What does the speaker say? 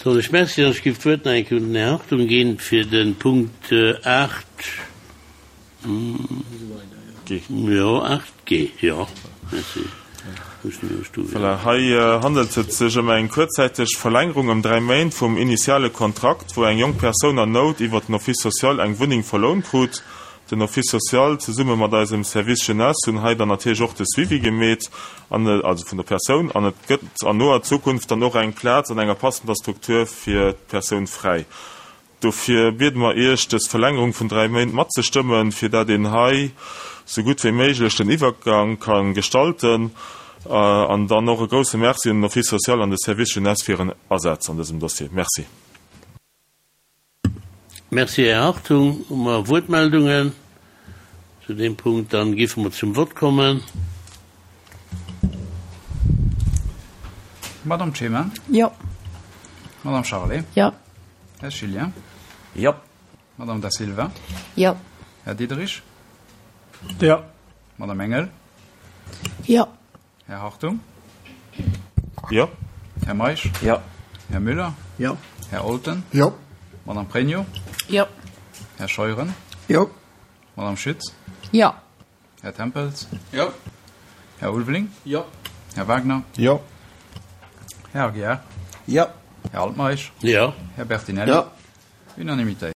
Soen ech Merci an ech géif d'Wuert nach eng Kéier un den Här Hartung ginn fir de Punkt 8, jo, 8 G, jo. Merci. Voilà, hei handelt et sech ëm eng kuerzzäiteg Verlängerung ëm 3 Méint vum initiale Kontrakt, wou eng jonk Persoun an Nout iwwer den Office social eng Wunneng verlount krut. Den Office social zesumme mat eisem Service Jeunesse hunn hei dann natierlech och de Suivi gemeet, an, also vun der Persoun, an et gëtt an noer Zukunft dann och eng Plaz an enger passender Struktur fir d'Persoun fräi. Dofir biede mer Iech, dës Verlängerung vun 3 Méint matzestëmmen, fir dat een hei sou gutt wéi méiglech den Iwwergang ka gestalten. An dann och e grousse Merci un den Office social an de Service Jeunesse fir hiren Asaz an dësem Dossier. Merci. Merci, Här Hartung. Hu mer Wuertmeldungen zu deem Punkt? Dann géife mer zum Vott kommen. Madame Clement? Jo. Madame Charlé? Jo. Här Schilien? Jo. Madame Da Silva? Jo. Här Diderich? Jo. Madame Engel? Jo. Här Hartung? Jo. Här Meisch? Jo. Här Müller? Jo. Här Olten? Jo. Madame Pregno? Jo. Här Scheuren? Jo. Madame Schütz? Jo. Här Tempels? Jo. Här Ulveling? Jo. Här Wagner? Jo. Här Aguiar? Jo. Här Altmeisch? Jo. Här Bertinelli? Jo. Unanimitéit.